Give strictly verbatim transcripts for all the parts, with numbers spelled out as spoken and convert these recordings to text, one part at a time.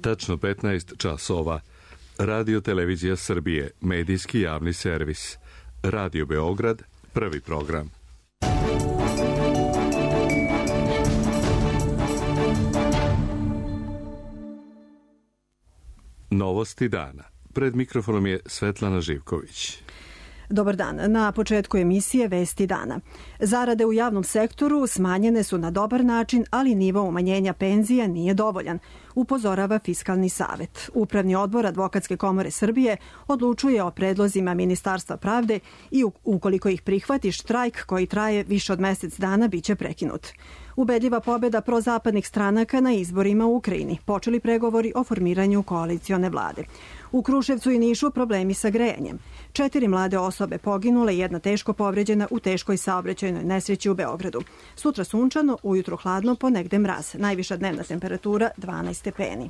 Tačno petnaest časova. Radio Televizija Srbije, medijski javni servis. Radio Beograd, prvi program. Novosti dana. Pred mikrofonom je Svetlana Živković. Dobar dan. Na početku emisije Vesti dana. Zarade u javnom sektoru smanjene su na dobar način, ali nivo umanjenja penzija nije dovoljan, upozorava Fiskalni savet. Upravni odbor Advokatske komore Srbije odlučuje o predlozima Ministarstva pravde i ukoliko ih prihvati, štrajk koji traje više od mesec dana biće prekinut. Ubedljiva pobjeda prozapadnih stranaka na izborima u Ukrajini. Počeli pregovori o formiranju koalicione vlade. U Kruševcu i Nišu problemi sa grejanjem. Četiri mlade osobe poginule i jedna teško povređena u teškoj saobraćajnoj nesreći u Beogradu. Sutra sunčano, ujutro hladno, ponegde mraz. Najviša dnevna temperatura dvanaest stepeni.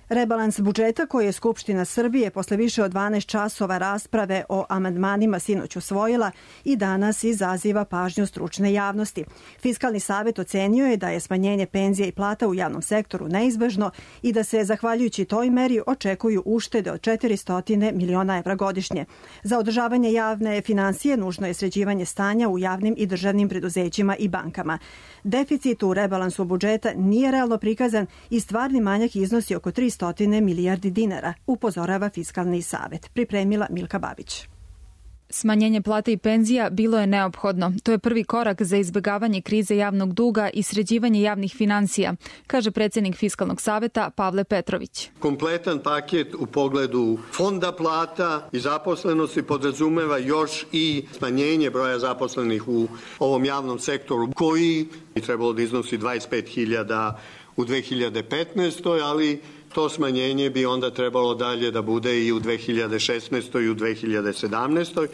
Rebalans budžeta koji je Skupština Srbije posle više od dvanaest časova rasprave o amandmanima sinoć usvojila i danas izaziva pažnju stručne javnosti. Fiskalni savet ocenio je da je smanjenje penzija i plata u javnom sektoru neizbežno i da se, zahvaljujući toj meri, očekuju uštede od četiristo miliona evra godišnje. Za održavanje javne financije nužno je sređivanje stanja u javnim i državnim preduzećima i bankama. Deficit u rebalansu budžeta nije realno prikazan i stvarni manjak iznosi oko tristo milijardi dinara, upozorava Fiskalni savet. Pripremila Milka Babić. Smanjenje plata i penzija bilo je neophodno. To je prvi korak za izbjegavanje krize javnog duga i sređivanje javnih financija, kaže predsjednik Fiskalnog saveta Pavle Petrović. Kompletan paket u pogledu fonda plata i zaposlenosti podrazumeva još i smanjenje broja zaposlenih u ovom javnom sektoru, koji bi trebalo da iznosi dvadeset pet hiljada u dve hiljade petnaestoj. ali to smanjenje bi onda trebalo dalje da bude i u dve hiljade šesnaestoj i u dve hiljade sedamnaestoj.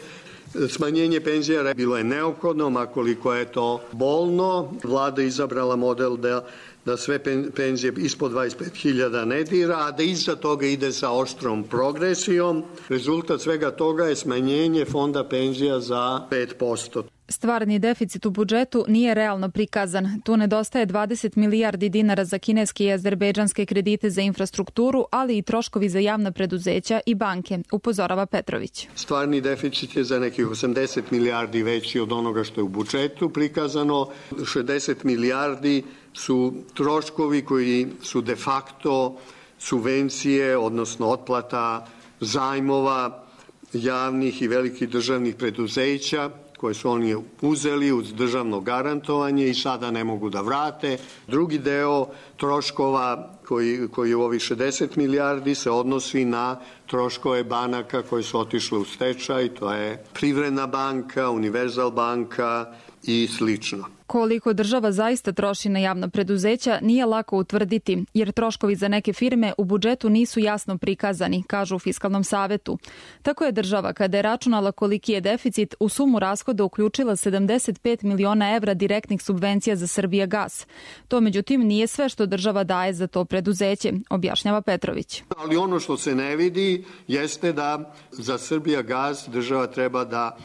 Smanjenje penzija bilo je neophodno, makoliko je to bolno. Vlada izabrala model da, da sve penzije ispod dvadeset pet hiljada ne dira, a da iza toga ide sa oštrom progresijom. Rezultat svega toga je smanjenje fonda penzija za pet posto. Stvarni deficit u budžetu nije realno prikazan. Tu nedostaje dvadeset milijardi dinara za kineske i azerbejdžanske kredite za infrastrukturu, ali i troškovi za javna preduzeća i banke, upozorava Petrović. Stvarni deficit je za nekih osamdeset milijardi veći od onoga što je u budžetu prikazano. šezdeset milijardi su troškovi koji su de facto subvencije, odnosno otplata zajmova javnih i velikih državnih preduzeća, koje su oni uzeli uz državno garantovanje i sada ne mogu da vrate. Drugi deo troškova koji, koji u ovih šezdeset milijardi se odnosi na troškove banaka koje su otišle u stečaj, to je Privredna banka, Univerzal banka i slično. Koliko država zaista troši na javna preduzeća nije lako utvrditi, jer troškovi za neke firme u budžetu nisu jasno prikazani, kažu u Fiskalnom savetu. Tako je država, kada je računala koliki je deficit, u sumu rashoda uključila sedamdeset pet miliona evra direktnih subvencija za Srbijagas. To, međutim, nije sve što država daje za to preduzeće, objašnjava Petrović. Ali ono što se ne vidi jeste da za Srbijagas država treba da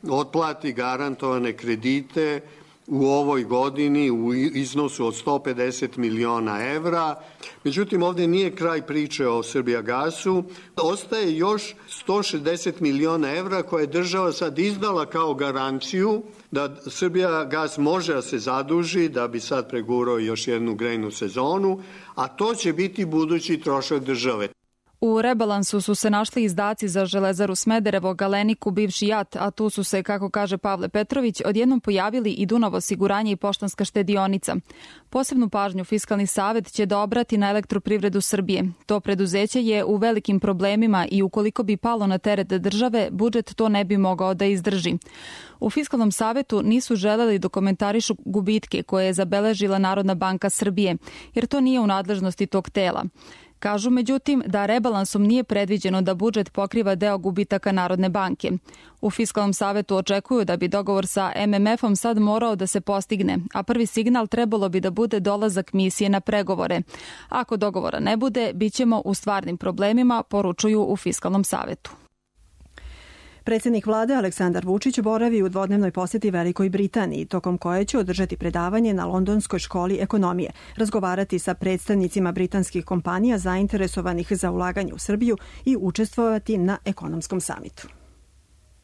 otplati garantovane kredite u ovoj godini u iznosu od sto pedeset miliona evra. Međutim, ovdje nije kraj priče o Srbijagasu. Ostaje još sto šezdeset miliona evra koje je država sad izdala kao garanciju da Srbijagas može da se zaduži da bi sad pregurao još jednu grejnu sezonu, a to će biti budući trošak države. U rebalansu su se našli izdaci za Železaru Smederevo, Galeniku, bivši JAT, a tu su se, kako kaže Pavle Petrović, odjednom pojavili i Dunav osiguranje i Poštanska štedionica. Posebnu pažnju Fiskalni savet će da obrati na Elektroprivredu Srbije. To preduzeće je u velikim problemima i ukoliko bi palo na teret države, budžet to ne bi mogao da izdrži. U Fiskalnom savetu nisu želeli da komentarišu gubitke koje je zabeležila Narodna banka Srbije, jer to nije u nadležnosti tog tela. Kažu, međutim, da rebalansom nije predviđeno da budžet pokriva deo gubitaka Narodne banke. U Fiskalnom savetu očekuju da bi dogovor sa em em efom sad morao da se postigne, a prvi signal trebalo bi da bude dolazak misije na pregovore. Ako dogovora ne bude, bit ćemo u stvarnim problemima, poručuju u Fiskalnom savetu. Predsjednik vlade Aleksandar Vučić boravi u dvodnevnoj posjeti Velikoj Britaniji, tokom koje će održati predavanje na Londonskoj školi ekonomije, razgovarati sa predstavnicima britanskih kompanija zainteresovanih za ulaganje u Srbiju i učestvovati na ekonomskom samitu.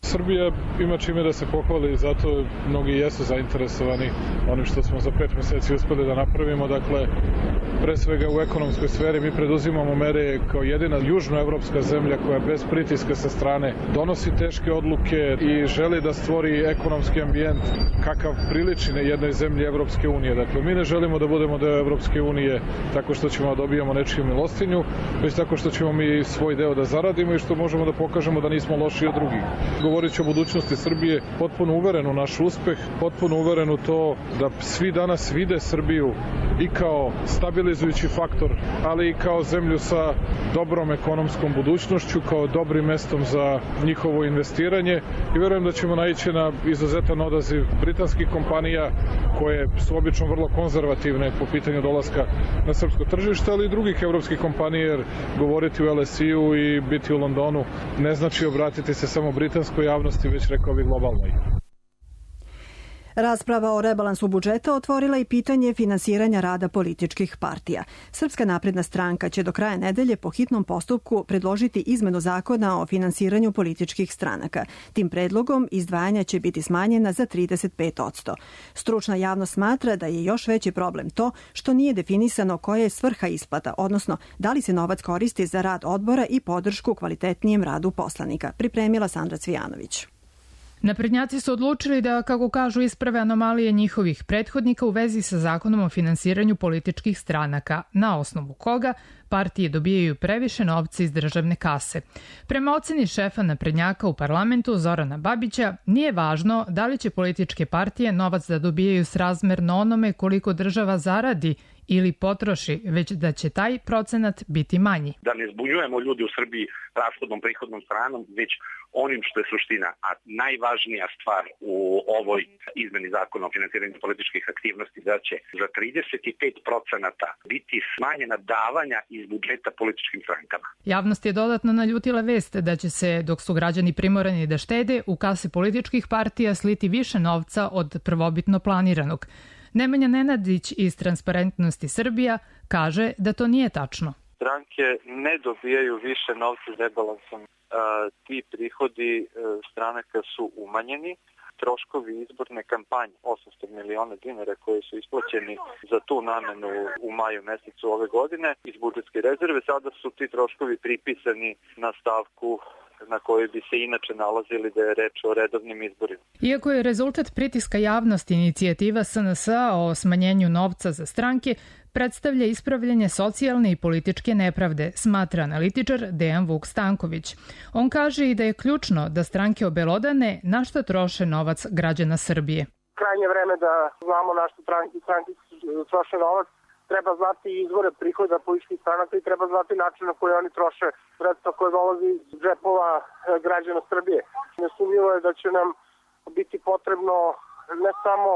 Srbija ima čime da se pohvali i zato mnogi jesu zainteresovani onim što smo za pet meseci uspeli da napravimo. Dakle, pre svega u ekonomskoj sferi mi preduzimamo mere kao jedina južnoevropska zemlja koja bez pritiska sa strane donosi teške odluke i želi da stvori ekonomski ambijent kakav priliči na jednoj zemlji Evropske unije. Dakle, mi ne želimo da budemo deo Evropske unije tako što ćemo da dobijamo nečiju milostinju, već tako što ćemo mi svoj deo da zaradimo i što možemo da pokažemo da nismo loši od drugih. Govorit ću o budućnosti Srbije, potpuno uveren u naš uspeh, potpuno uveren u to da svi danas vide Srbiju i kao stabilizujući faktor, ali i kao zemlju sa dobrom ekonomskom budućnošću, kao dobrim mestom za njihovo investiranje i verujem da ćemo naići na izuzetan odaziv britanskih kompanija koje su obično vrlo konzervativne po pitanju dolaska na srpsko tržište, ali i drugih evropskih kompanija, jer govoriti u L S I-u i biti u Londonu ne znači obratiti se samo britanskoj javnosti, već rekao bih globalnoj. Rasprava o rebalansu budžeta otvorila i pitanje finansiranja rada političkih partija. Srpska napredna stranka će do kraja nedelje po hitnom postupku predložiti izmenu zakona o finansiranju političkih stranaka. Tim predlogom izdvajanja će biti smanjena za trideset pet posto. Stručna javnost smatra da je još veći problem to što nije definisano koja je svrha isplata, odnosno da li se novac koristi za rad odbora i podršku kvalitetnijem radu poslanika. Pripremila Sandra Cvijanović. Naprednjaci su odlučili da, kako kažu, isprave anomalije njihovih prethodnika u vezi sa zakonom o finansiranju političkih stranaka, na osnovu koga partije dobijaju previše novca iz državne kase. Prema oceni šefa naprednjaka u parlamentu Zorana Babića, nije važno da li će političke partije novac da dobijaju srazmerno onome koliko država zaradi ili potroši, već da će taj procenat biti manji. Da ne zbunjujemo ljudi u Srbiji rashodnom prihodnom stranom, već onim što je suština, a najvažnija stvar u ovoj izmeni zakona o finansiranju političkih aktivnosti, da će za trideset pet procenata biti smanjena davanja iz budžeta političkim strankama. Javnost je dodatno naljutila vest da će se, dok su građani primorani da štede, u kase političkih partija sliti više novca od prvobitno planiranog. Nemanja Nenadić iz Transparentnosti Srbija kaže da to nije tačno. Stranke ne dobijaju više novca rebalansom. Ti prihodi stranaka su umanjeni. Troškovi izborne kampanje, osamsto miliona dinara koji su isplaćeni za tu namenu u maju mesecu ove godine iz budžetske rezerve, sada su ti troškovi pripisani na stavku na kojoj bi se inače nalazili da je reč o redovnim izborima. Iako je rezultat pritiska javnosti inicijativa S N S-a o smanjenju novca za stranke, predstavlja ispravljanje socijalne i političke nepravde, smatra analitičar Dejan Vuk Stanković. On kaže i da je ključno da stranke obelodane na šta troše novac građana Srbije. Krajnje vreme da znamo na šta stranke, stranke troše novac. Treba znati izvore prihoda političkih stranaka i treba znati način na koji oni troše sredstva koje dolazi iz džepova građana Srbije. Nesumnjivo je da će nam biti potrebno ne samo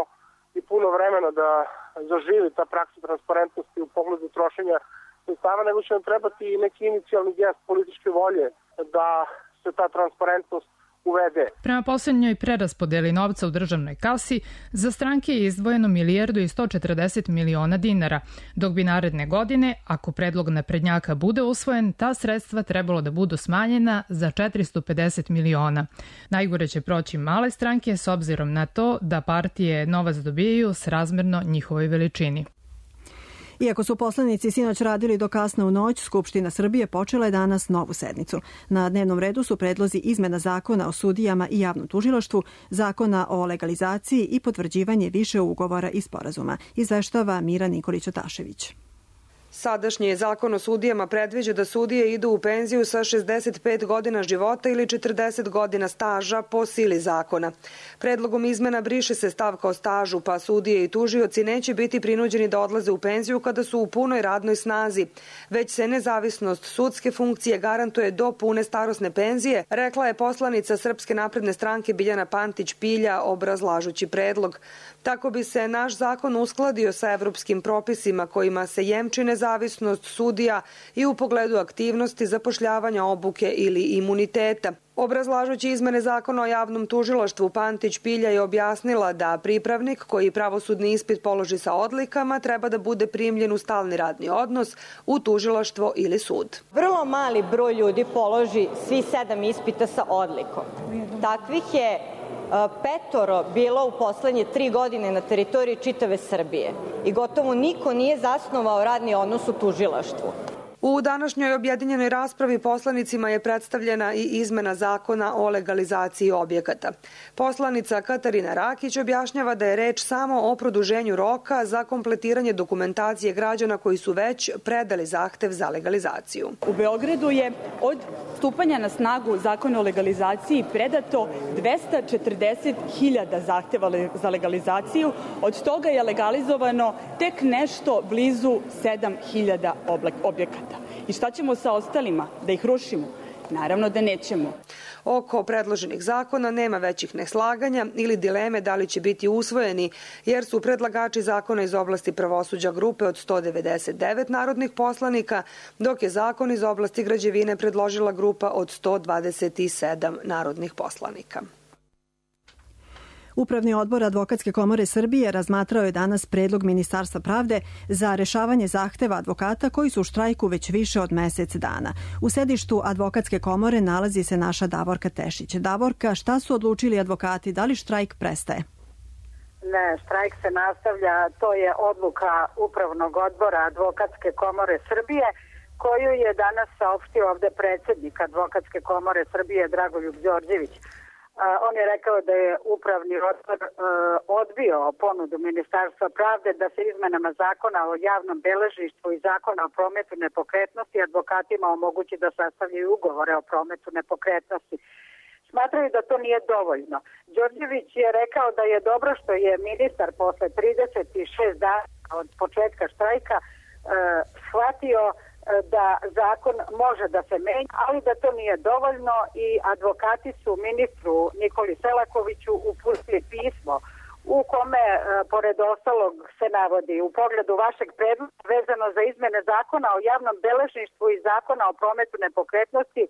i puno vremena da zaživi ta praksa transparentnosti u pogledu trošenja sredstava, nego će nam trebati i neki inicijalni gest političke volje da se ta transparentnost uvede. Prema posljednjoj preraspodeli novca u državnoj kasi, za stranke je izdvojeno milijardu i sto četrdeset miliona dinara, dok bi naredne godine, ako predlog naprednjaka bude usvojen, ta sredstva trebalo da budu smanjena za četiristo pedeset miliona. Najgore će proći male stranke s obzirom na to da partije novac dobijaju srazmerno njihovoj veličini. Iako su poslanici sinoć radili do kasno u noć, Skupština Srbije počela je danas novu sednicu. Na dnevnom redu su predlozi izmena zakona o sudijama i javnom tužilaštvu, zakona o legalizaciji i potvrđivanje više ugovora i sporazuma, izveštava Mira Nikolić-Otašević. Sadašnji zakon o sudijama predviđa da sudije idu u penziju sa šezdeset pet godina života ili četrdeset godina staža po sili zakona. Predlogom izmena briše se stavka o stažu, pa sudije i tužioci neće biti prinuđeni da odlaze u penziju kada su u punoj radnoj snazi, već se nezavisnost sudske funkcije garantuje do pune starosne penzije, rekla je poslanica Srpske napredne stranke Biljana Pantić Pilja obrazlažući predlog. Tako bi se naš zakon uskladio sa evropskim propisima kojima se jemči nezavisnost sudija i u pogledu aktivnosti zapošljavanja, obuke ili imuniteta. Obrazlažući izmene zakona o javnom tužilaštvu, Pantić Pilja je objasnila da pripravnik koji pravosudni ispit položi sa odlikama treba da bude primljen u stalni radni odnos u tužilaštvo ili sud. Vrlo mali broj ljudi položi svi sedam ispita sa odlikom. Takvih je petoro bilo u poslednje tri godine na teritoriji čitave Srbije i gotovo niko nije zasnovao radni odnos u tužilaštvu. U današnjoj objedinjenoj raspravi poslanicima je predstavljena i izmena zakona o legalizaciji objekata. Poslanica Katarina Rakić objašnjava da je reč samo o produženju roka za kompletiranje dokumentacije građana koji su već predali zahtev za legalizaciju. U Beogradu je od stupanja na snagu zakona o legalizaciji predato dvesta četrdeset hiljada zahteva za legalizaciju, od toga je legalizovano tek nešto blizu sedam hiljada objekata. I šta ćemo sa ostalima? Da ih rušimo? Naravno da nećemo. Oko predloženih zakona nema većih neslaganja ili dileme da li će biti usvojeni, jer su predlagači zakona iz oblasti pravosuđa grupe od sto devedeset devet narodnih poslanika, dok je zakon iz oblasti građevine predložila grupa od sto dvadeset sedam narodnih poslanika. Upravni odbor Advokatske komore Srbije razmatrao je danas predlog Ministarstva pravde za rešavanje zahteva advokata koji su u štrajku već više od mesec dana. U sedištu Advokatske komore nalazi se naša Davorka Tešić. Davorka, šta su odlučili advokati? Da li štrajk prestaje? Ne, štrajk se nastavlja. To je odluka Upravnog odbora Advokatske komore Srbije, koju je danas saopštio ovde predsjednik Advokatske komore Srbije Dragoljub Đorđević. On je rekao da je upravni odbor odbio ponudu Ministarstva pravde da se izmenama zakona o javnom beležništvu i zakona o prometu nepokretnosti advokatima omogući da sastavljaju ugovore o prometu nepokretnosti. Smatraju da to nije dovoljno. Đorđević je rekao da je dobro što je ministar posle trideset šest dana od početka štrajka shvatio da zakon može da se menja, ali da to nije dovoljno i advokati su ministru Nikoli Selakoviću uputili pismo u kome, pored ostalog, se navodi u pogledu vašeg predloga vezano za izmene zakona o javnom beležništvu i zakona o prometu nepokretnosti,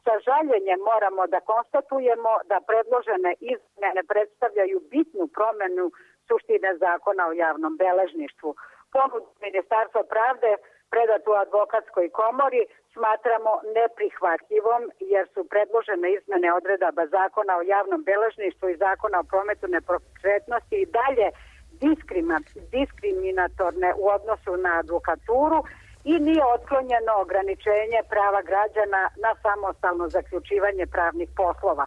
sa žaljenjem moramo da konstatujemo da predložene izmene ne predstavljaju bitnu promenu suštine zakona o javnom beležništvu. Ponudu Ministarstva pravde predatu u Advokatskoj komori smatramo neprihvatljivom jer su predložene izmene odredaba zakona o javnom beležništvu i zakona o prometu nepokretnosti i dalje diskriminatorne u odnosu na advokaturu i nije otklonjeno ograničenje prava građana na samostalno zaključivanje pravnih poslova.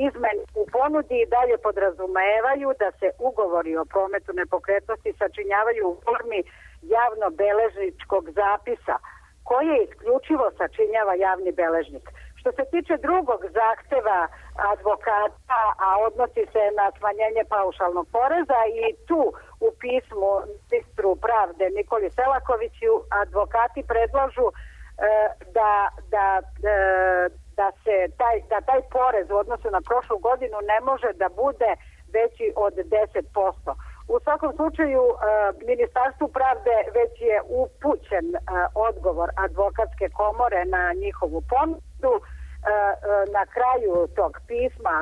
Izmene u ponudi i dalje podrazumevaju da se ugovori o prometu nepokretnosti sačinjavaju u formi javno-beležničkog zapisa, koje isključivo sačinjava javni beležnik. Što se tiče drugog zahteva advokata, a odnosi se na smanjenje paušalnog poreza, i tu u pismu ministru pravde Nikoli Selakoviću advokati predlažu e, da, da, e, da, se taj, da taj porez u odnosu na prošlu godinu ne može da bude veći od deset posto. U svakom slučaju, Ministarstvu pravde već je upućen odgovor Advokatske komore na njihovu ponudu. Na kraju tog pisma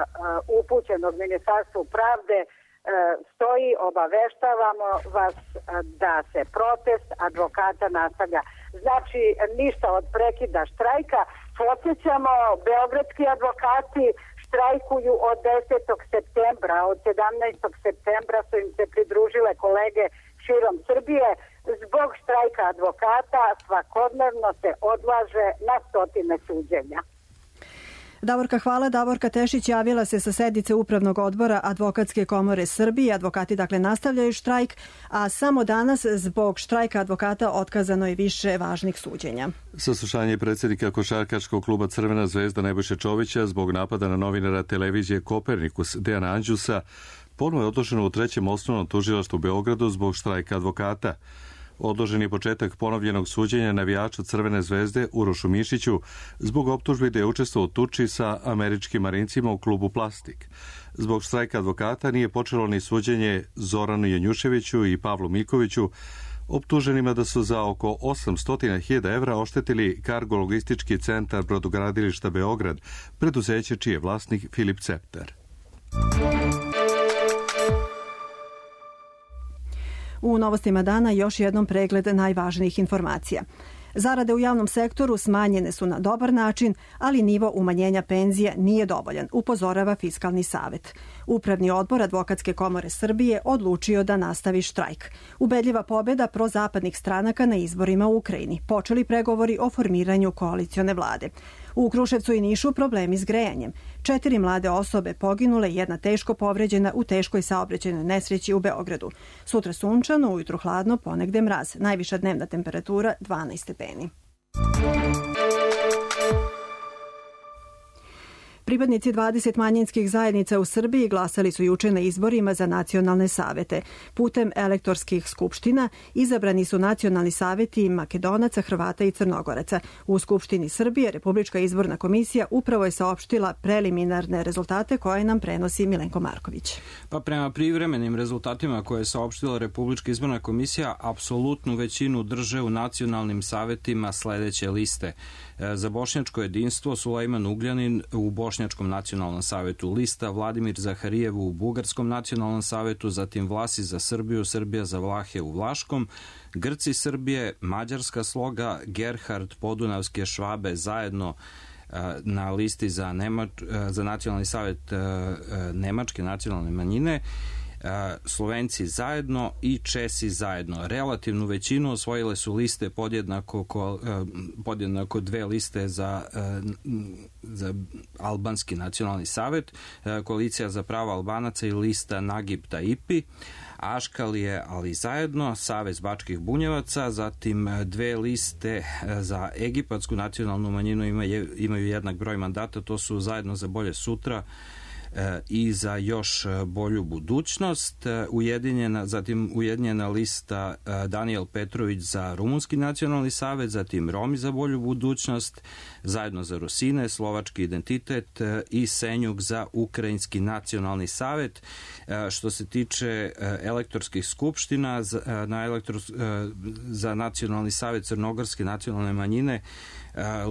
upućenog Ministarstvu pravde stoji: obaveštavamo vas da se protest advokata nastavlja. Znači, ništa od prekida štrajka. Podsjećamo, beogradski advokati štrajkuju od desetog septembra. Od sedamnaestog septembra su im se pridružile kolege širom Srbije. Zbog štrajka advokata svakodnevno se odlaže na stotine suđenja. Davorka, hvala. Davorka Tešić javila se sa sednice Upravnog odbora Advokatske komore Srbije. Advokati dakle nastavljaju štrajk, a samo danas zbog štrajka advokata otkazano je više važnih suđenja. Saslušanje predsjednika košarkaškog kluba Crvena zvezda Nebojše Čovića zbog napada na novinara televizije Kopernikus Dejana Anđusa ponovo je odloženo u trećem osnovnom tužilaštvu u Beogradu zbog štrajka advokata. Odložen je početak ponovljenog suđenja navijača Crvene zvezde Urošu Mišiću zbog optužbi da je učestvovao u tuči sa američkim marincima u klubu Plastik. Zbog štrajka advokata nije počelo ni suđenje Zoranu Janjuševiću i Pavlu Mikoviću, optuženima da su za oko osamsto hiljada evra oštetili kargo-logistički centar brodogradilišta Beograd, preduzeće čiji je vlasnik Filip Cepter. U novostima dana još jednom pregled najvažnijih informacija. Zarade u javnom sektoru smanjene su na dobar način, ali nivo umanjenja penzija nije dovoljan, upozorava Fiskalni savet. Upravni odbor Advokatske komore Srbije odlučio da nastavi štrajk. Ubedljiva pobjeda prozapadnih stranaka na izborima u Ukrajini. Počeli pregovori o formiranju koalicione vlade. U Kruševcu i Nišu problemi s grejanjem. Četiri mlade osobe poginule, jedna teško povređena u teškoj saobraćajnoj nesreći u Beogradu. Sutra sunčano, ujutru hladno, ponegde mraz. Najviša dnevna temperatura dvanaest stepeni. Pripadnici dvadeset manjinskih zajednica u Srbiji glasali su juče na izborima za nacionalne savete. Putem elektorskih skupština izabrani su nacionalni saveti Makedonaca, Hrvata i Crnogoraca. U Skupštini Srbije Republička izborna komisija upravo je saopštila preliminarne rezultate koje nam prenosi Milenko Marković. Pa prema privremenim rezultatima koje je saopštila Republička izborna komisija, apsolutnu većinu drže u nacionalnim savetima sledeće liste. Za bošnjačko jedinstvo Sulejman Ugljanin u Bošnjačkom nacionalnom savetu, lista Vladimir Zaharijev u Bugarskom nacionalnom savetu, zatim Vlasi za Srbiju, Srbija za Vlahe u Vlaškom, Grci Srbije, Mađarska sloga, Gerhard Podunavske Švabe zajedno na listi za, Nemač, za nacionalni savet Nemačke nacionalne manjine, Slovenci zajedno i Česi zajedno. Relativnu većinu osvojile su liste podjednako, podjednako dve liste za, za Albanski nacionalni savet, Koalicija za prava Albanaca i lista Nagib Taipi, Aškalije, ali zajedno, Savez bačkih bunjevaca, zatim dve liste za Egipatsku nacionalnu manjinu imaju, imaju jednak broj mandata, to su Zajedno za bolje sutra i za još bolju budućnost. Ujedinjena, zatim ujedinjena lista Danijel Petrović za Rumunski nacionalni savet, zatim Romi za bolju budućnost, Zajedno za Rusine, Slovački identitet i Senjuk za Ukrajinski nacionalni savet. Što se tiče elektorskih skupština, na elektro, za nacionalni savet Crnogorske nacionalne manjine,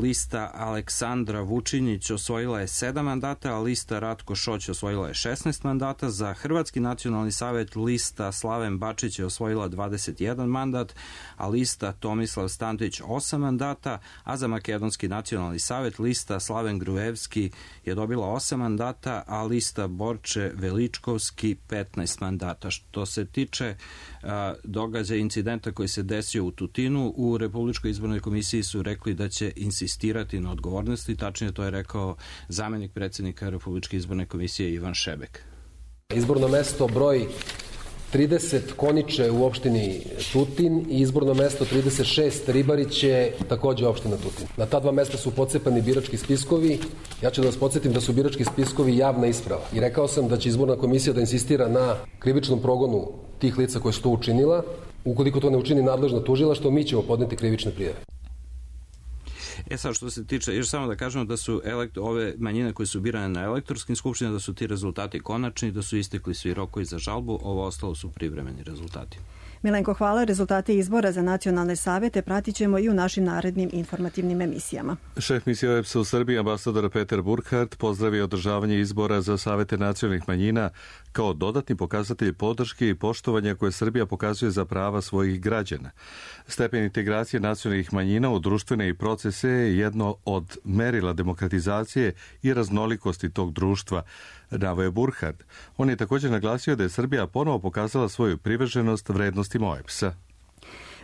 lista Aleksandra Vučinić osvojila je sedam mandata, a lista Ratko Šoć osvojila je šesnaest mandata. Za Hrvatski nacionalni savet lista Slaven Bačić je osvojila dvadeset jedan mandat, a lista Tomislav Stantić osam mandata, a za Makedonski nacionalni savet lista Slaven Gruevski je dobila osam mandata, a lista Borče Veličkovski petnaest mandata. Što se tiče uh, događaja incidenta koji se desio u Tutinu, u Republičkoj izbornoj komisiji su rekli da će insistirati na odgovornosti, tačnije to je rekao zamenik predsjednika Republičke izborne komisije Ivan Šebek. Izborno mesto broj trideset Koniče u opštini Tutin i izborno mesto trideset šest Ribarić je takođe opština Tutin. Na ta dva mesta su pocepani birački spiskovi. Ja ću da vas podsjetim da su birački spiskovi javna isprava. I rekao sam da će izborna komisija da insistira na krivičnom progonu tih lica koje su to učinila. Ukoliko to ne učini nadležna tužilaštvo, mi ćemo podneti krivične prijave. E sad, što se tiče, još samo da kažemo da su elekt, ove manjine koje su birane na elektorskim skupštinama, da su ti rezultati konačni, da su istekli svi rokovi za žalbu, ovo ostalo su privremeni rezultati. Milenko, hvala. Rezultate izbora za nacionalne savete pratit ćemo i u našim narednim informativnim emisijama. Šef misije O E B S-a u Srbiji, ambasador Peter Burkhardt, pozdravio održavanje izbora za savete nacionalnih manjina kao dodatni pokazatelj podrške i poštovanja koje Srbija pokazuje za prava svojih građana. Stepen integracije nacionalnih manjina u društvene i procese je jedno od merila demokratizacije i raznolikosti tog društva, naveo je Burkhardt. On je također naglasio da je Srbija ponovo pokazala svoju privrženost vrednostima O E B S-a.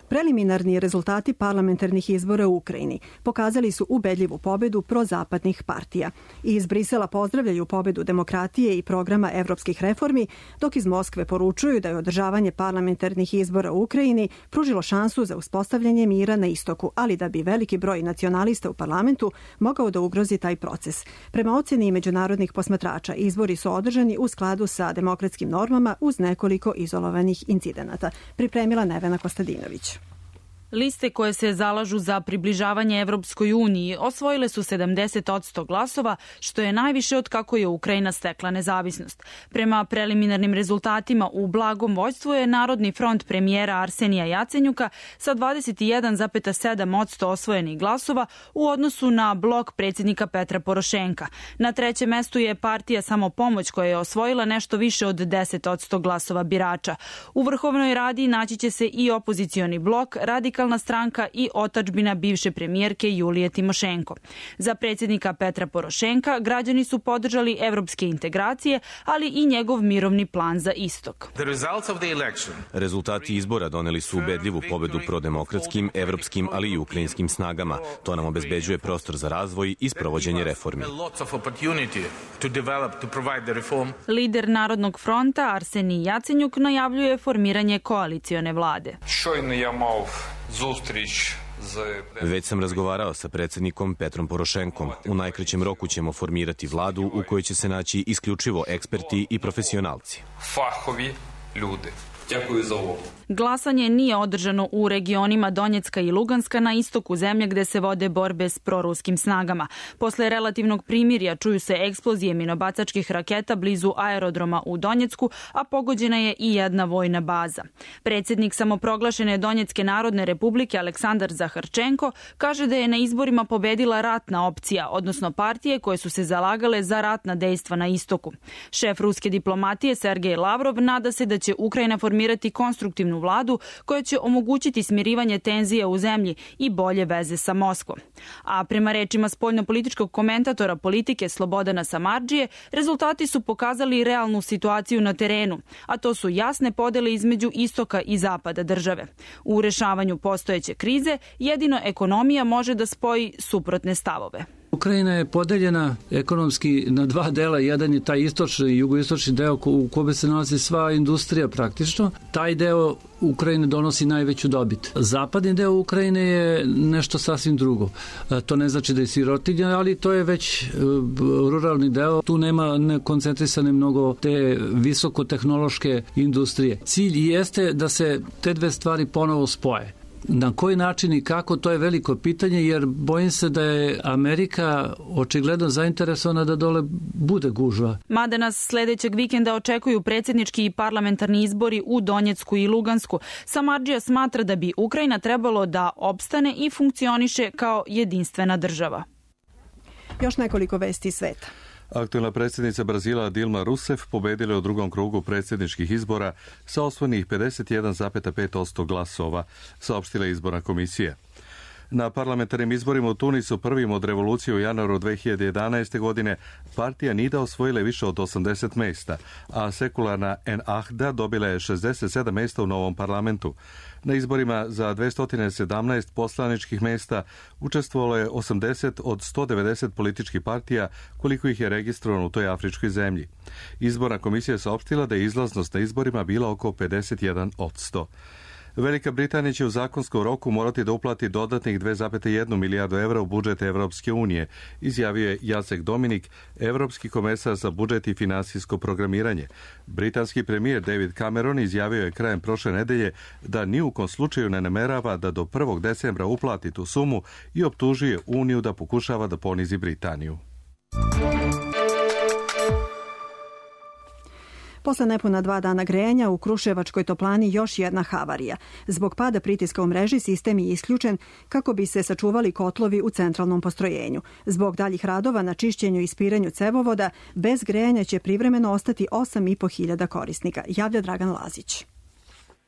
Preliminarni rezultati parlamentarnih izbora u Ukrajini pokazali su ubedljivu pobedu prozapadnih partija. Iz Brisela pozdravljaju pobedu demokratije i programa evropskih reformi, dok iz Moskve poručuju da je održavanje parlamentarnih izbora u Ukrajini pružilo šansu za uspostavljanje mira na istoku, ali da bi veliki broj nacionalista u parlamentu mogao da ugrozi taj proces. Prema oceni međunarodnih posmatrača, izbori su održani u skladu sa demokratskim normama uz nekoliko izolovanih incidenata. Pripremila Nevena Kostadinović. Liste koje se zalažu za približavanje Evropskoj uniji osvojile su sedamdeset odsto glasova, što je najviše od kako je Ukrajina stekla nezavisnost. Prema preliminarnim rezultatima u blagom vođstvu je Narodni front premijera Arsenija Jacenjuka sa dvadeset jedan zarez sedam odsto osvojenih glasova u odnosu na blok predsjednika Petra Porošenka. Na trećem mestu je partija Samopomoć koja je osvojila nešto više od deset odsto glasova birača. U Vrhovnoj radi naći će se i opozicioni blok, Radikalna stranka i otadžbina bivše premijerke Julije Timošenko. Za predsjednika Petra Porošenka građani su podržali evropske integracije, ali i njegov mirovni plan za istok. Rezultati izbora doneli su ubedljivu pobedu prodemokratskim, evropskim, ali i ukrajinskim snagama. To nam obezbeđuje prostor za razvoj i sprovođenje reformi. Lider Narodnog fronta Arsenij Jacenjuk najavljuje formiranje koalicione vlade. Već sam razgovarao sa predsjednikom Petrom Porošenkom. U najkraćem roku ćemo formirati vladu u kojoj će se naći isključivo eksperti i profesionalci. Fahovi ljudi. Дякую за увагу. Glasanje nije održano u regionima Donjecka i Luganska na istoku zemlje gde se vode borbe s proruskim snagama. Posle relativnog primirja čuju se eksplozije minobacačkih raketa blizu aerodroma u Donjecku, a pogođena je i jedna vojna baza. Predsjednik samoproglašene Donjecke narodne republike Aleksandar Zaharčenko kaže da je na izborima pobedila ratna opcija, odnosno partije koje su se zalagale za ratna dejstva na istoku. Šef ruske diplomatije Sergej Lavrov nada se da će Ukrajina formirati konstruktivnu vladu koja će omogućiti smirivanje tenzija u zemlji i bolje veze sa Moskvom. A prema rečima spoljnopolitičkog komentatora politike Slobodana Samardžije, rezultati su pokazali realnu situaciju na terenu, a to su jasne podele između istoka i zapada države. U rešavanju postojeće krize jedino ekonomija može da spoji suprotne stavove. Ukrajina je podeljena ekonomski na dva dela. Jedan je taj istočni i jugoistočni deo u kome se nalazi sva industrija praktično. Taj deo Ukrajine donosi najveću dobit. Zapadni deo Ukrajine je nešto sasvim drugo. To ne znači da je sirotinja, ali to je već ruralni deo. Tu nema ne koncentrisane mnogo te visokotehnološke industrije. Cilj jeste da se te dve stvari ponovo spoje. Na koji način i kako, to je veliko pitanje, jer bojim se da je Amerika očigledno zainteresovana da dole bude gužva. Mada nas sledećeg vikenda očekuju predsjednički i parlamentarni izbori u Donjecku i Lugansku, Samardžija smatra da bi Ukrajina trebalo da opstane i funkcioniše kao jedinstvena država. Još nekoliko vesti sveta. Aktuelna predsjednica Brazila Dilma Rousseff pobedila je u drugom krugu predsjedničkih izbora sa osvojenih pedeset jedan zarez pet odsto glasova, saopštila izborna komisija. Na parlamentarnim izborima u Tunisu prvim od revolucije u januaru dve hiljade jedanaeste. godine partija Nida osvojila je više od osamdeset mesta, a sekularna Ennahda dobila je šezdeset sedam mesta u novom parlamentu. Na izborima za dvesta sedamnaest poslaničkih mesta učestvovalo je osamdeset od sto devedeset političkih partija, koliko ih je registrovano u toj afričkoj zemlji. Izborna komisija je saopštila da je izlaznost na izborima bila oko pedeset jedan odsto. Velika Britanija će u zakonskom roku morati da uplati dodatnih dve zarez jedna milijardu evra u budžet Evropske unije, izjavio je Jacek Dominik, evropski komesar za budžet i finansijsko programiranje. Britanski premijer David Cameron izjavio je krajem prošle nedelje da ni u kom slučaju ne namerava da do prvog decembra uplati tu sumu i optužuje Uniju da pokušava da ponizi Britaniju. Posle nepuna dva dana grejanja u Kruševačkoj toplani još jedna havarija. Zbog pada pritiska u mreži sistem je isključen kako bi se sačuvali kotlovi u centralnom postrojenju. Zbog daljih radova na čišćenju i ispiranju cevovoda, bez grejanja će privremeno ostati osam i po hiljada korisnika, javlja Dragan Lazić.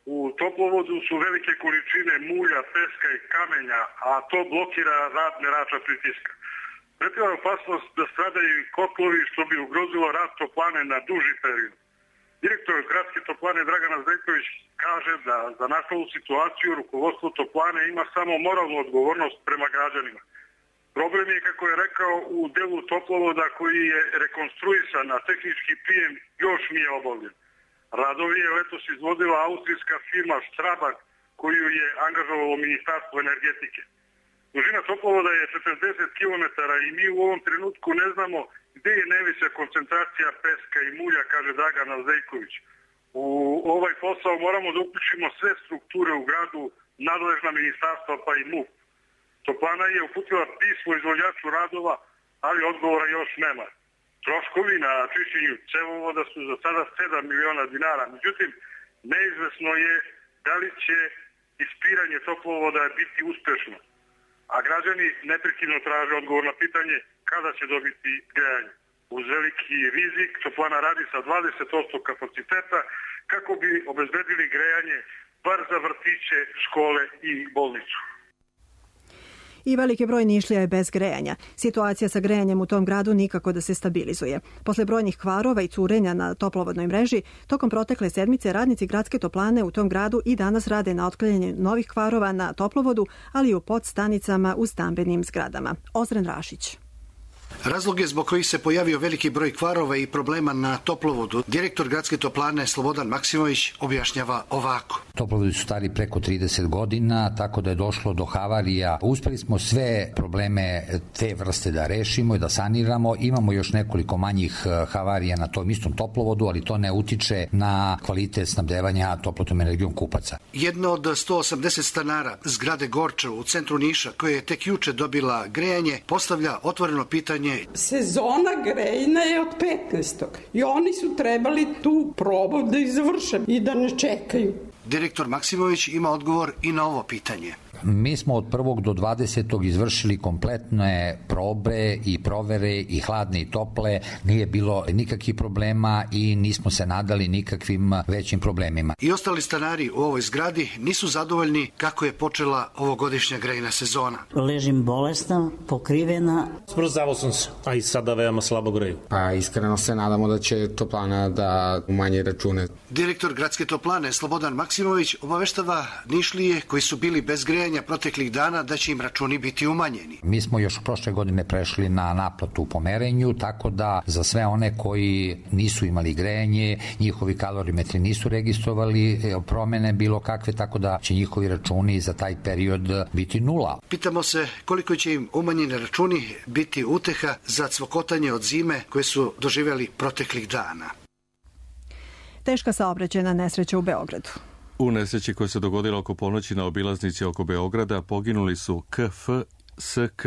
U toplovodu su velike količine mulja, peska i kamenja, a to blokira rad merača pritiska. Pretiva je opasnost da stradaju i kotlovi, što bi ugrozilo rad toplane na duži period. Direktor gradske toplane Dragana Zdejković kaže da za nastalu situaciju rukovodstvo toplane ima samo moralnu odgovornost prema građanima. Problem je, kako je rekao, u delu toplovoda koji je rekonstruisan, a tehnički prijem još nije obavljen. Radovi je letos izvodila austrijska firma Strabag, koju je angažovalo Ministarstvo energetike. Dužina toplovoda je četrdeset kilometara i mi u ovom trenutku ne znamo gde je najveća koncentracija peska i mulja, kaže Dragan Zdejković. U ovaj posao moramo da uključimo sve strukture u gradu, nadležna ministarstva pa i M U P. Toplana je uputila pismo izvođaču radova, ali odgovora još nema. Troškovi na čišćenju cevovoda su za sada sedam miliona dinara. Međutim, neizvesno je da li će ispiranje toplovoda biti uspešno. A građani neprekidno traže odgovor na pitanje kada će dobiti grejanje. Uz veliki rizik toplana radi sa dvadeset posto kapaciteta kako bi obezbedili grejanje bar za vrtiće, škole i bolnicu. I veliki broj Nišlija je bez grejanja. Situacija sa grejanjem u tom gradu nikako da se stabilizuje. Posle brojnih kvarova i curenja na toplovodnoj mreži, tokom protekle sedmice radnici gradske toplane u tom gradu i danas rade na otklanjanju novih kvarova na toplovodu, ali i u podstanicama u stambenim zgradama. Ozren Rašić. Razloge zbog kojih se pojavio veliki broj kvarova i problema na toplovodu, direktor gradske toplane Slobodan Maksimović objašnjava ovako. Toplovodi su stari preko trideset godina, tako da je došlo do havarija. Uspeli smo sve probleme te vrste da rešimo i da saniramo. Imamo još nekoliko manjih havarija na tom istom toplovodu, ali to ne utiče na kvalitet snabdevanja toplotnom energijom kupaca. Jedno od sto osamdeset stanara zgrade Gorčev u centru Niša, koja je tek juče dobila grejanje, postavlja otvoreno pitanje. Sezona grejna je od petnaestog i oni su trebali tu probu da izvrše i da ne čekaju. Direktor Maksimović ima odgovor i na ovo pitanje. Mi smo od prvog do dvadesetog izvršili kompletne probe i provere i hladne i tople, nije bilo nikakvih problema i nismo se nadali nikakvim većim problemima. I ostali stanari u ovoj zgradi nisu zadovoljni kako je počela ovogodišnja grejna sezona. Ležim bolesna, pokrivena. Smrzavao sam se, a i sada veoma slabo greju. Pa iskreno se nadamo da će toplana da umanje račune. Direktor gradske toplane Slobodan Maksimović obaveštava Nišlije koji su bili bez grejanja proteklih dana da će im računi biti umanjeni. Mi smo još prošle godine prešli na naplatu po merenju, tako da za sve one koji nisu imali grejanje, njihovi kalorimetri nisu registrovali promene bilo kakve, tako da će njihovi računi za taj period biti nula. Pitamo se koliko će im umanjeni računi biti uteha za cvokotanje od zime koje su doživjeli proteklih dana. Teška saobraćajna nesreća u Beogradu. U nesreći koja se dogodila oko ponoći na obilaznici oko Beograda poginuli su K F, S K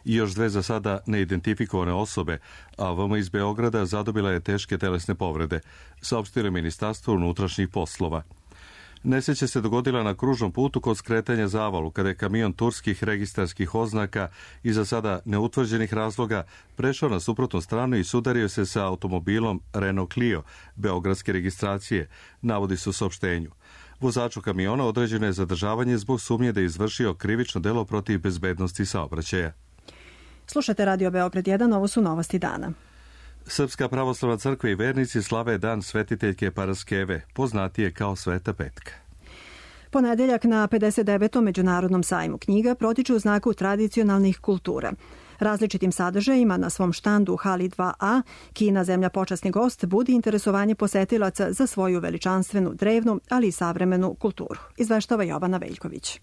i još dve za sada neidentifikovane osobe, a V M iz Beograda zadobila je teške telesne povrede, saopštilo Ministarstvo unutrašnjih poslova. Nesreća se dogodila na kružnom putu kod skretanja Zavalu, kada je kamion turskih registarskih oznaka i za sada neutvrđenih razloga prešao na suprotnu stranu i sudario se sa automobilom Renault Clio, beogradske registracije, navodi se u saopštenju. Vozaču kamiona određeno je zadržavanje zbog sumnje da je izvršio krivično delo protiv bezbednosti saobraćaja. Slušate Radio Beograd jedan, ovo su novosti dana. Srpska pravoslavna crkva i vernici slave dan svetiteljke Paraskeve, poznatije kao Sveta Petka. Ponedeljak na pedeset devetom Međunarodnom sajmu knjiga protiče u znaku tradicionalnih kultura. Različitim sadržajima na svom štandu u hali dva A, Kina, zemlja počasni gost, budi interesovanje posetilaca za svoju veličanstvenu, drevnu, ali i savremenu kulturu. Izveštava Jovana Veljković.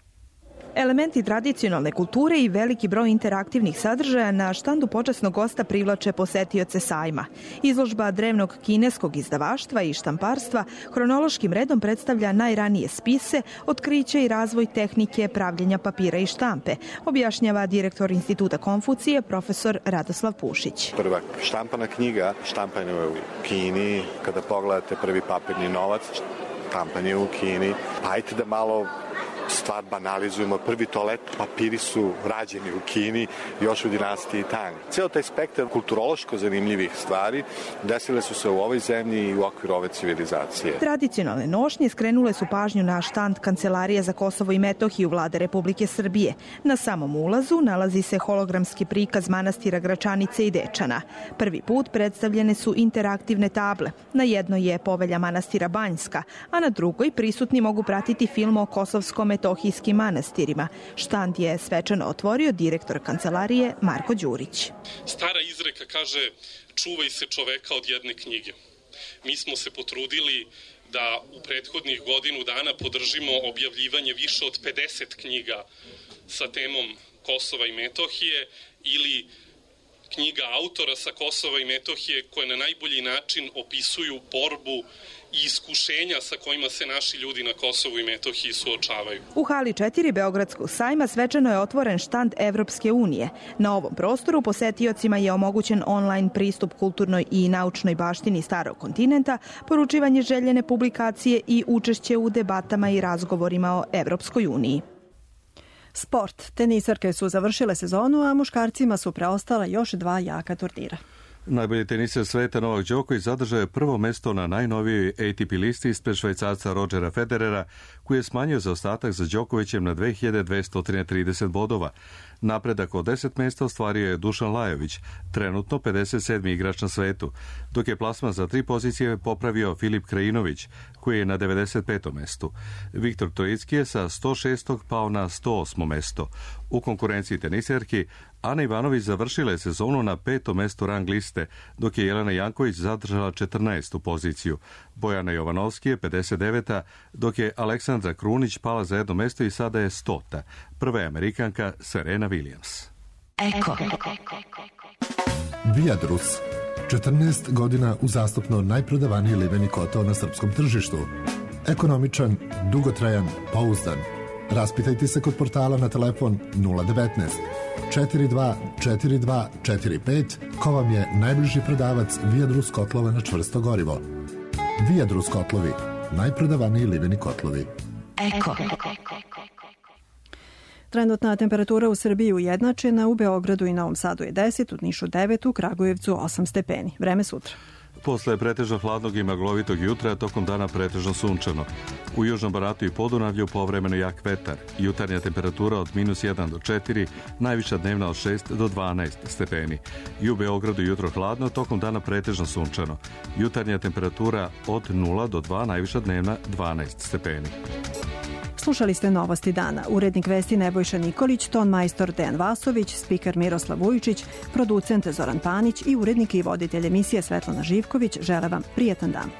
Elementi tradicionalne kulture i veliki broj interaktivnih sadržaja na štandu počasnog gosta privlače posetioce sajma. Izložba drevnog kineskog izdavaštva i štamparstva hronološkim redom predstavlja najranije spise, otkriće i razvoj tehnike pravljenja papira i štampe, objašnjava direktor Instituta Konfucije, profesor Radoslav Pušić. Prva štampana knjiga štampana je u Kini. Kada pogledate prvi papirni novac, štampan je u Kini. Pa ajte da malo stvar banalizujemo. Prvi toalet papiri su rađeni u Kini, još u dinastiji Tang. Ceo taj spektar kulturološko zanimljivih stvari desile su se u ovoj zemlji i u okviru ove civilizacije. Tradicionalne nošnje skrenule su pažnju na štand Kancelarije za Kosovo i Metohiju Vlade Republike Srbije. Na samom ulazu nalazi se hologramski prikaz manastira Gračanice i Dečana. Prvi put predstavljene su interaktivne table. Na jednoj je povelja manastira Banjska, a na drugoj prisutni mogu pratiti film o kosovskom metohijskim manastirima. Štand je svečano otvorio direktor kancelarije Marko Đurić. Stara izreka kaže: čuvaj se čoveka od jedne knjige. Mi smo se potrudili da u prethodnih godinu dana podržimo objavljivanje više od pedeset knjiga sa temom Kosova i Metohije ili knjiga autora sa Kosova i Metohije koje na najbolji način opisuju borbu i iskušenja sa kojima se naši ljudi na Kosovu i Metohiji suočavaju. U hali četiri Beogradskog sajma svečano je otvoren štand Evropske unije. Na ovom prostoru posetiocima je omogućen online pristup kulturnoj i naučnoj baštini starog kontinenta, poručivanje željene publikacije i učešće u debatama i razgovorima o Evropskoj uniji. Sport. Tenisarke su završile sezonu, a muškarcima su preostala još dva jaka turnira. Najbolji teniser sveta Novak Đoković zadržao je prvo mesto na najnovijoj A T P listi ispred Švajcarca Rodgera Federera, koji je smanjio zaostatak za Đokovićem na dve hiljade dvesta trideset bodova. Napredak od deset mesta ostvario je Dušan Lajović, trenutno pedeset sedmi igrač na svetu, dok je plasman za tri pozicije popravio Filip Krajinović, koji je na devedeset petom mestu. Viktor Trojicki je sa sto šestog pao na sto osmo mesto. U konkurenciji teniserki Ana Ivanović završila je sezonu na petom mestu rang liste, dok je Jelena Janković zadržala četrnaestu poziciju. Bojana Jovanovski je pedeset deveta, dok je Aleksandra Krunić pala za jedno mesto i sada je stota. Prva je Amerikanka Serena Williams. Eko. Viadrus. četrnaest godina uzastopno najprodavaniji liveni kotao na srpskom tržištu. Ekonomičan, dugotrajan, pouzdan. Raspitajte se kod portala na telefon nula devetnaest četiri dva četiri dva četiri pet ko vam je najbliži prodavac Viadrus kotlova na čvrsto gorivo. Viadrus kotlovi, najprodavaniji liveni kotlovi. Eko. Trenutna temperatura u Srbiji ujednačena, u Beogradu i Novom Sadu je deset, u Nišu devet, u Kragujevcu osam stepeni. Vreme sutra. Posle pretežno hladnog i maglovitog jutra, tokom dana pretežno sunčano. U Južnom Banatu i Podunavlju povremeno jak vetar. Jutarnja temperatura od minus jedan do četiri, najviša dnevna od šest do dvanaest stepeni. I u Beogradu jutro hladno, tokom dana pretežno sunčano. Jutarnja temperatura od nula do dva, najviša dnevna dvanaest stepeni. Slušali ste Novosti dana. Urednik vesti Nebojša Nikolić, ton majstor Dejan Vasović, spiker Miroslav Vujičić, producent Zoran Panić i urednik i voditelj emisije Svetlana Živković žele vam prijetan dan.